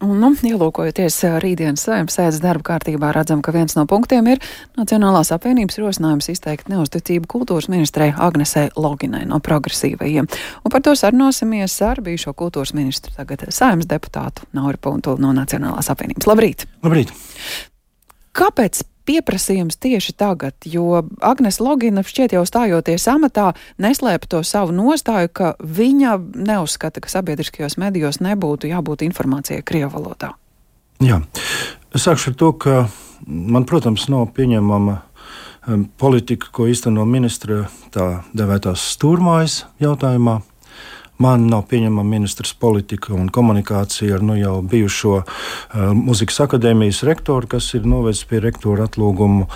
Un, ielūkojoties rītdienas Saeimas sēdes darba kārtībā, redzam, ka viens no punktiem ir Nacionālās apvienības rosinājums izteikt neuzticību kultūras ministrei Agnesei Loginai no Progresīvajiem. Un par to sarunāsimies ar bijušo kultūras ministru, tagad Saeimas deputātu Nauri Puntuli no Nacionālās apvienības. Labrīt! Labrīt! Kāpēc pieprasījums tieši tagad, jo Agnese Logina šķiet jau stājoties amatā neslēpa to savu nostāju, ka viņa neuzskata, ka sabiedriskajos medijos nebūtu jābūt informācijai krievu valodā? Jā, es sākšu ar to, ka man, protams, nav pieņemama politika, ko īsteno ministra tā devētās stūrmājas jautājumā. Man nav pieņemama ministrs politika un komunikācija ar jau bijušo Mūzikas akadēmijas rektoru, kas ir novedis pie rektora atlūgumu.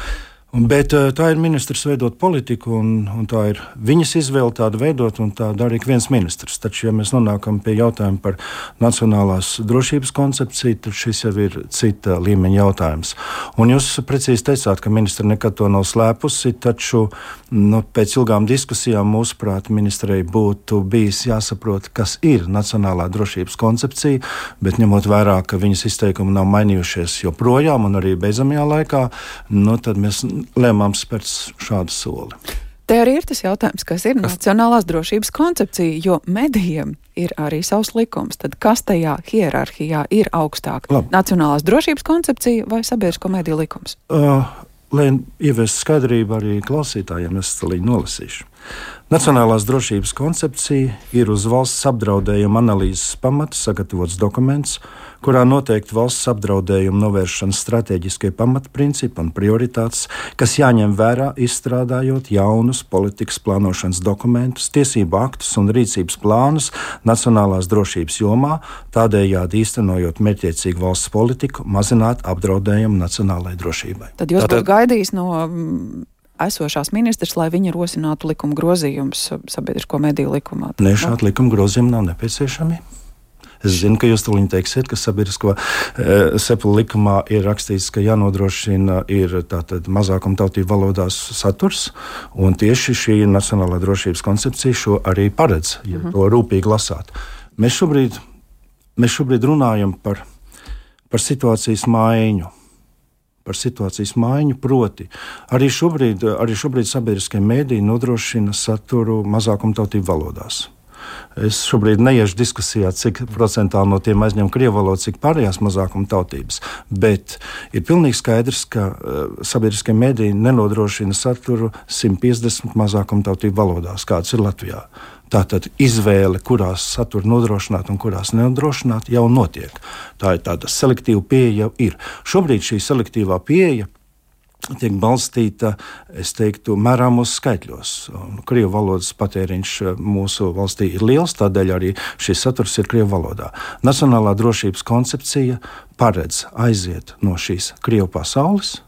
Bet tā ir ministrs veidot politiku, un tā ir viņas izvēle tādu veidot, un tā dara ik viens ministrs. Taču, ja mēs nonākam pie jautājuma par nacionālās drošības koncepciju, tad šis jau ir cita līmeņa jautājums. Un jūs precīzi teicāt, ka ministra nekad to nav slēpusi, taču pēc ilgām diskusijām mūsuprāt ministrei būtu bijis jāsaprot, kas ir nacionālā drošības koncepcija, bet ņemot vērā, ka viņas izteikumi nav mainījušies joprojām un arī beidzamajā laikā, tad mēs lēmām spērt šādu soli. Te arī ir tas jautājums, kas ir nacionālās drošības koncepcija, jo medijiem ir arī savs likums. Tad kas tajā hierarhijā ir augstāk? Labi. Nacionālās drošības koncepcija vai sabiedrisko mediju likums? Lai ieviestu skaidrību arī klausītājiem, es līdzi nolasīšu. Nacionālās drošības koncepcija ir uz valsts apdraudējuma analīzes pamata sagatavots dokuments, kurā noteikti valsts apdraudējuma novēršanas stratēģiskie pamatprincipi un prioritātes, kas jāņem vērā izstrādājot jaunus politikas plānošanas dokumentus, tiesību aktus un rīcības plānus nacionālās drošības jomā, tādējādi īstenojot mērķiecīgu valsts politiku, mazināt apdraudējumu nacionālajai drošībai. Tad jūs būtu gaidījis no esošās ministrs, lai viņa rosinātu likuma grozījumus sabiedrisko mediju likumā? Nē, šādi likuma grozījumi nav nepieciešami. Es zinu, ka jūs tūlīt teiksiet, ka sabiedrisko sepulu likumā ir rakstīts, ka jānodrošina ir tātad mazākuma tautību valodās saturs, un tieši šī nacionālā drošības koncepcija šo arī paredz, ja to rūpīgi lasāt. Mēs šobrīd runājam par situācijas maiņu. Par situācijas maiņu, proti arī šobrīd sabiedriskie mediji nodrošina saturu mazākumtautību valodās. Es šobrīd neiešu diskusijā, cik procentāli no tiem aizņem krievu valodu, cik pārējās mazākuma tautības, bet ir pilnīgi skaidrs, ka sabiedriskie mediji nenodrošina saturu 150 mazākuma tautību valodās, kāds ir Latvijā. Tātad izvēle, kurās saturu nodrošināt un kurās nenodrošināt, jau notiek. Tā ir tāda selektīva pieeja jau ir. Šobrīd šī selektīvā pieeja tiek balstīta, es teiktu, mērāmos skaitļos. Krievu valodas patēriņš mūsu valstī ir liels, tādēļ arī šis saturs ir krievu valodā. Nacionālā drošības koncepcija paredz aiziet no šīs krievu pasaules,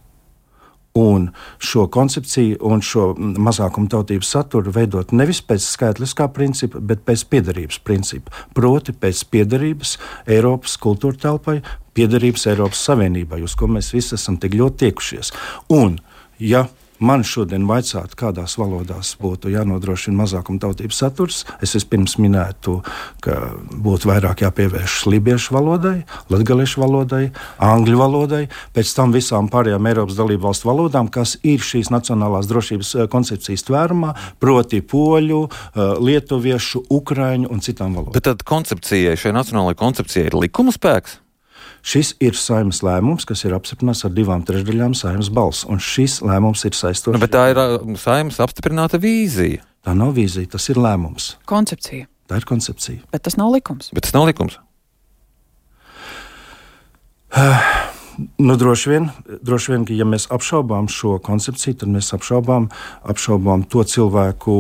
un šo koncepciju un šo mazākuma tautības saturu veidot nevis pēc skaitliskā principa, bet pēc piederības principa. Proti pēc piederības Eiropas kultūra telpai, piederības Eiropas Savienībai, uz ko mēs visi esam tik ļoti tiekušies. Un, ja man šodien vaicātu, kādās valodās būtu jānodrošina mazākuma tautības saturs, es vispirms minētu, ka būtu vairāk jāpievērš lībiešu valodai, latgaliešu valodai, angļu valodai, pēc tam visām pārējām Eiropas dalību valstu valodām, kas ir šīs nacionālās drošības koncepcijas tvērumā, proti poļu, lietuviešu, ukraiņu un citām valodām. Bet tad koncepcijai, šai nacionālajai koncepcijai ir likuma spēks? Šis ir Saeimas lēmums, kas ir apstiprināts ar 2/3 Saeimas balss, un šis lēmums ir saistošs. Bet tā ir Saeimas apstiprināta vīzija. Tā nav vīzija, tas ir lēmums. Koncepcija. Tā ir koncepcija. Bet tas nav likums. Droši vien, ka ja mēs apšaubām šo koncepciju, tad mēs apšaubām to cilvēku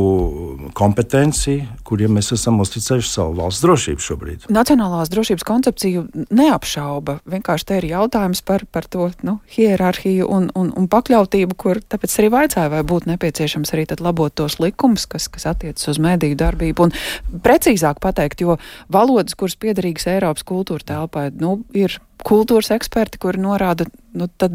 kompetenciju, kuriem mēs esam uzticējuši savu valsts drošību šobrīd. Nacionālās drošības koncepciju neapšauba. Vienkārši te ir jautājums par to hierarhiju un pakļautību, kur tāpēc arī vaicāja, vai būtu nepieciešams arī tad labot tos likumus, kas attiecas uz mediju darbību. Un precīzāk pateikt, jo valodas, kuras piederīgas Eiropas kultūra telpai, ir kultūras eksperti, kuri norāda, tad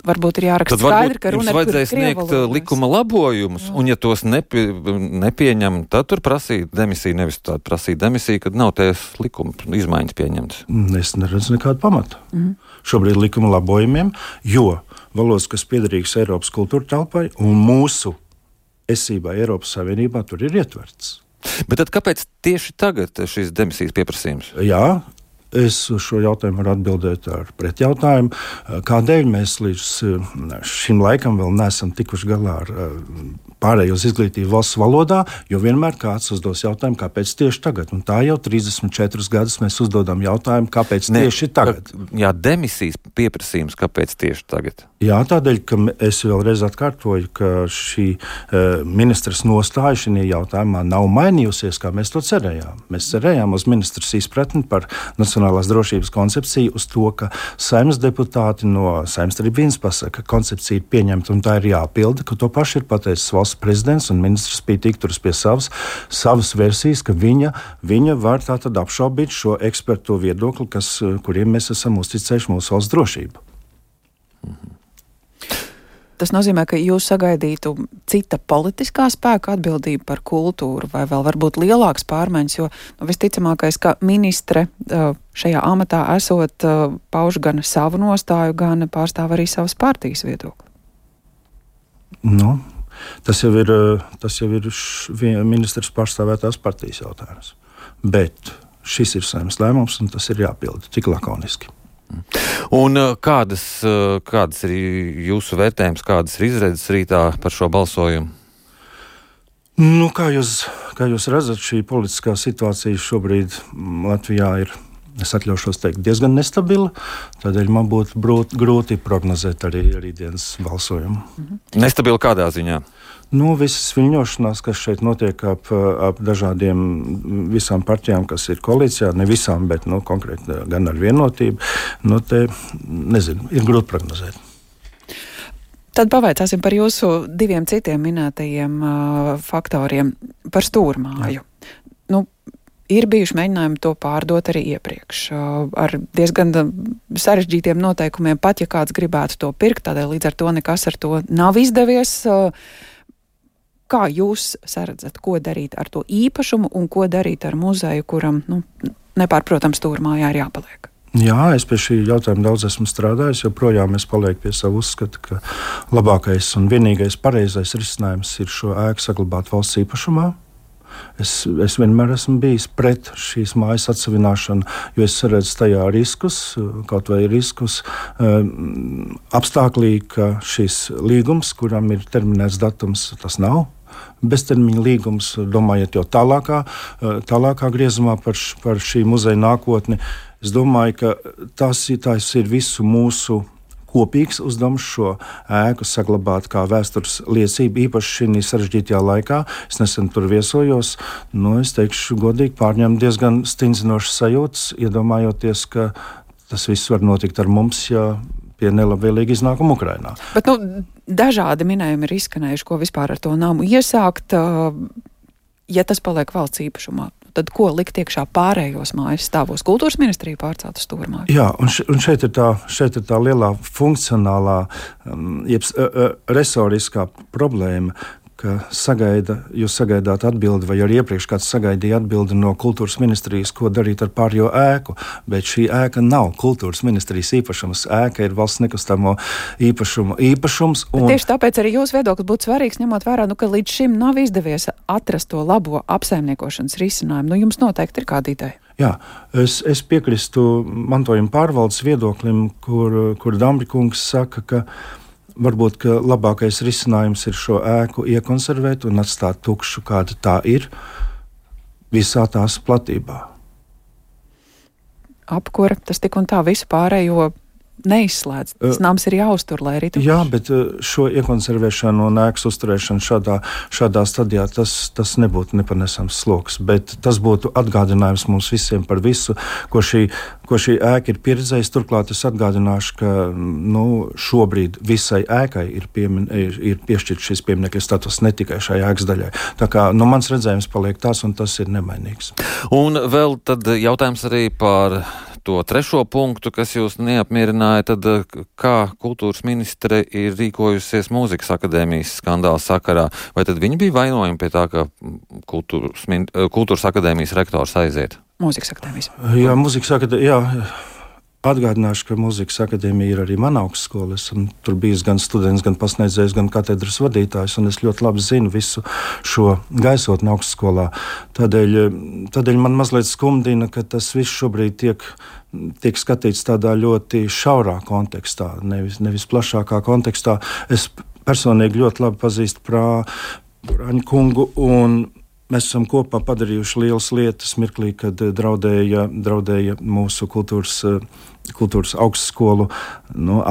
varbūt ir jāraksta skaidri, ka runa ir par vajadzēja sniegt likuma labojumus, un ja tos nepieņem, tad tur prasīt demisiju, nevis tādu prasīt demisiju, kad nav tās likuma izmaiņas pieņemtas. Es neredzu nekādu pamatu. Šobrīd likuma labojumiem, jo valodas, kas piederīgas Eiropas kultūra telpai un mūsu esībā Eiropas Savienībā, tur ir ietverts. Bet tad kāpēc tieši tagad šīs demisijas pieprasījums? Jā. Es uz šo jautājumu varu atbildēt ar pretjautājumu. Kādēļ mēs līdz šim laikam vēl neesam tikuši galā ar pārējo uz izglītību valsts valodā, jo vienmēr kāds uzdos jautājumu, kāpēc tieši tagad. Un tā jau 34 gadus mēs uzdodam jautājumu, kāpēc tieši tagad. Jā, demisijas pieprasījums, kāpēc tieši tagad? Jā, tādēļ, ka es vēlreiz atkārtoju, ka šī ministras nostāja šajā jautājumā nav mainījusies, kā mēs to cerējām. Mēs cerējām uz ministras izpratni par nacionālās drošības koncepciju, uz to, ka Saeimas deputāti no Saeimas arī viens pasaka, ka koncepcija ir pieņemta un tā ir jāpilda, ka to paši ir pateicis valsts prezidents un ministrs Spītīgi turas pie savas versijas, ka viņa var tātad apšaubīt šo ekspertu viedokli, kuriem mēs esam uzticējuši mūsu valsts drošību. Tas nozīmē, ka jūs sagaidītu cita politiskā spēka atbildību par kultūru vai vēl varbūt lielākas pārmaiņas, jo visticamākais, ka ministre šajā amatā esot pauž gan savu nostāju, gan pārstāv arī savas partijas viedokli. Tas jau ir ministrs pārstāvētās partijas jautājums. Bet šis ir Saeimas lēmums un tas ir jāpilda tik lakoniski. Un kādas ir jūsu vērtējums, kādas ir izredzes rītā par šo balsojumu? Kā jūs redzat, šī politiskā situācija šobrīd Latvijā ir, es atļaušos teikt, diezgan nestabila, tādēļ man būtu grūti prognozēt arī dienas balsojumu. Nestabila kādā ziņā? Visas viļņošanās, kas šeit notiek ap visām partijām, kas ir koalīcijā, ne visām, bet konkrēti gan ar Vienotību, ir grūti prognozēt. Tad pavaicāsim par jūsu diviem citiem minētajiem faktoriem par stūrmāju. Ir bijuši mēģinājumi to pārdot arī iepriekš ar diezgan sarežģītiem noteikumiem, pat ja kāds gribētu to pirkt, tādēļ līdz ar to nekas ar to nav izdevies. Kā jūs saredzat, ko darīt ar to īpašumu un ko darīt ar muzeju, kuram, nepārprotams, stūrmājā ir jāpaliek? Jā, es pie šī jautājuma daudz esmu strādājis, joprojām es palieku pie savu uzskatu, ka labākais un vienīgais pareizais risinājums ir šo ēku saglabāt valsts īpašumā. Es vienmēr esmu bijis pret šīs mājas atsavināšanu, jo es redzu tajā riskus, kaut vai riskus apstāklī, ka šis līgums, kuram ir terminēts datums, tas nav beztermiņa līgums, domājot jau tālākā griezumā par šī muzeja nākotni. Es domāju, ka tas ir visu mūsu kopīgs uzdevums šo ēku saglabāt kā vēstures liecību, īpaši šī sarežģītajā laikā. Es nesen tur viesojos, es teikšu godīgi, pārņēmu diezgan stingzinošas sajūtas, iedomājoties, ka tas viss var notikt ar mums, ja pie nelabvēlīga iznākuma Ukrainā. Bet dažādi minējumi ir izskanējuši, ko vispār ar to namu iesākt, ja tas paliek valsts īpašumā. Tad ko likt iekšā pārējos mājas stāvos? Kultūras ministrija pārcelt uz stūrmāju. Jā, un šeit ir tā lielā funkcionālā, resoriskā problēma, ka jūs sagaidāt atbildi, vai arī iepriekš kāds sagaidīja atbildi no kultūras ministrijas, ko darīt ar pārējo ēku, bet šī ēka nav kultūras ministrijas īpašums. Ēka ir valsts nekustamo īpašums. Tieši tāpēc arī jūsu viedoklis būtu svarīgs, ņemot vērā, ka līdz šim nav izdevies atrast to labo apsaimniekošanas risinājumu. Jums noteikti ir kāda ideja. Jā, es piekrīstu mantojuma pārvaldes viedoklim, kur Dambrikungs saka, ka varbūt ka labākais risinājums ir šo ēku iekonservēt un atstāt tukšu, kāda tā ir, visā tās platībā. Apkura, tas tik un tā visu pārējo neizslēdz. Tas nams ir jāuztur, lai arī tukšs. Jā, bet šo iekonservēšanu un ēkas uzturēšanu šādā stadijā tas nebūtu nepanesams sloks, bet tas būtu atgādinājums mums visiem par visu, ko šī ēka ir pieredzējusi. Turklāt es atgādināšu, ka šobrīd visai ēkai ir piešķirts šis pieminekļa status, ne tikai šai ēkas daļai. Tā kā mans redzējums paliek tās, un tas ir nemainīgs. Un vēl tad jautājums arī par to trešo punktu, kas jūs neapmierināja, tad kā kultūras ministre ir rīkojusies mūzikas akadēmijas skandāla sakarā? Vai tad viņi bija vainojumi pie tā, ka kultūras akadēmijas rektors aiziet? Mūzikas akadēmijas. Jā, mūzikas akadēmija. Atgādināšu, ka mūzikas akadēmija ir arī mana augstskola. Esmu tur bijis gan students, gan pasniedzējs, gan katedras vadītājs, un es ļoti labi zinu visu šo gaisotni augstskolā. Tādēļ man mazliet skumdina, ka tas viss šobrīd tiek skatīts tādā ļoti šaurā kontekstā, nevis plašākā kontekstā. Es personīgi ļoti labi pazīstu Prāņu kungu, un mēs esam kopā padarījuši lielas lietas mirklī, kad draudēja mūsu kultūras augstskolu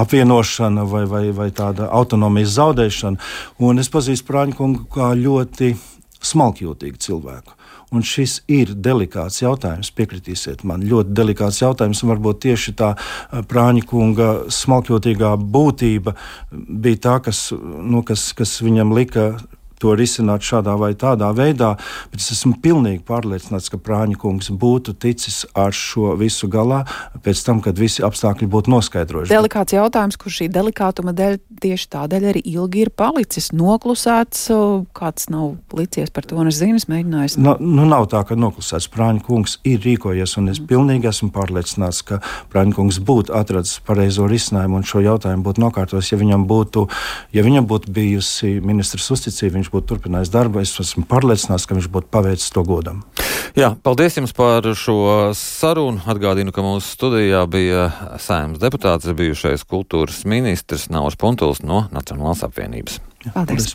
apvienošana vai tāda autonomijas zaudēšana. Un es pazīstu Prāņu kungu kā ļoti smalkjūtīgu cilvēku. Un šis ir delikāts jautājums, piekritīsiet man, ļoti delikāts jautājums, un varbūt tieši tā Prāņa kunga smalkjūtīgā būtība bija tā, kas viņam lika to risināt šādā vai tādā veidā, bet es esmu pilnīgi pārliecināts, ka Prāņa kungs būtu ticis ar šo visu galā pēc tam, kad visi apstākļi būtu noskaidrojuši. Delikāts jautājums, kur šī delikātuma dēļ tieši tādēļ arī ilgi ir palicis noklusēts. Kāds nav licies par to, un es zinu, es mēģināju. Nav tā, ka noklusēts. Prāņa kungs ir rīkojies, un es pilnīgi esmu pārliecināts, ka Prāņa kungs būtu atradis pareizo risinājumu un šo jautājumu būtu nokārtos, ja viņam būtu bijusi ministrs uzticība, viņš būtu turpinājis darbu. Es esmu pārliecināts, ka viņš būtu paveicis to godam. Jā, paldies jums par šo sarunu. Atgādinu, ka mūsu studijā bija Saeimas deputāts, bijušais kultūras ministrs Nauris Puntuls no Nacionālās apvienības. Paldies!